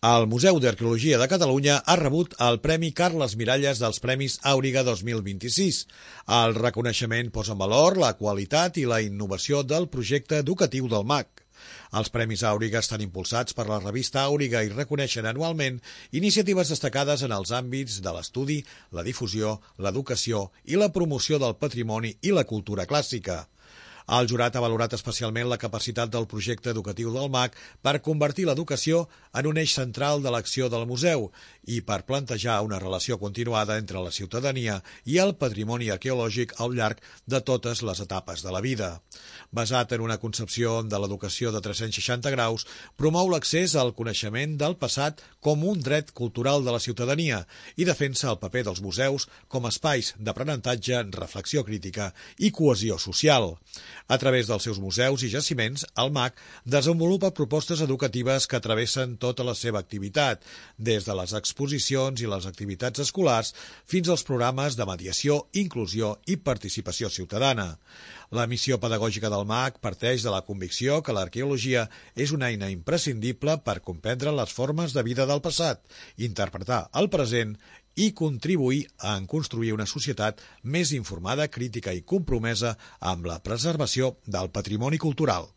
El Museu d'Arqueologia de Catalunya ha rebut el Premi Carles Miralles dels Premis Àuriga 2026. El reconeixement posa en valor la qualitat i la innovació del projecte educatiu del MAC. Els Premis Àuriga estan impulsats per la revista Àuriga i reconeixen anualment iniciatives destacades en els àmbits de l'estudi, la difusió, l'educació i la promoció del patrimoni i la cultura clàssica. El jurat ha valorat especialment la capacitat del projecte educatiu del MAC per convertir l'educació en un eix central de l'acció del museu i per plantejar una relació continuada entre la ciutadania i el patrimoni arqueològic al llarg de totes les etapes de la vida. Basat en una concepció de l'educació de 360 graus, promou l'accés al coneixement del passat com un dret cultural de la ciutadania i defensa el paper dels museus com a espais d'aprenentatge, reflexió crítica i cohesió social. A través dels seus museus i jaciments, el MAC desenvolupa propostes educatives que travessen tota la seva activitat, des de les exposicions i les activitats escolars fins als programes de mediació, inclusió i participació ciutadana. La missió pedagògica del MAC parteix de la convicció que l'arqueologia és una eina imprescindible per comprendre les formes de vida del passat, interpretar el present i contribuir a construir una societat més informada, crítica i compromesa amb la preservació del patrimoni cultural.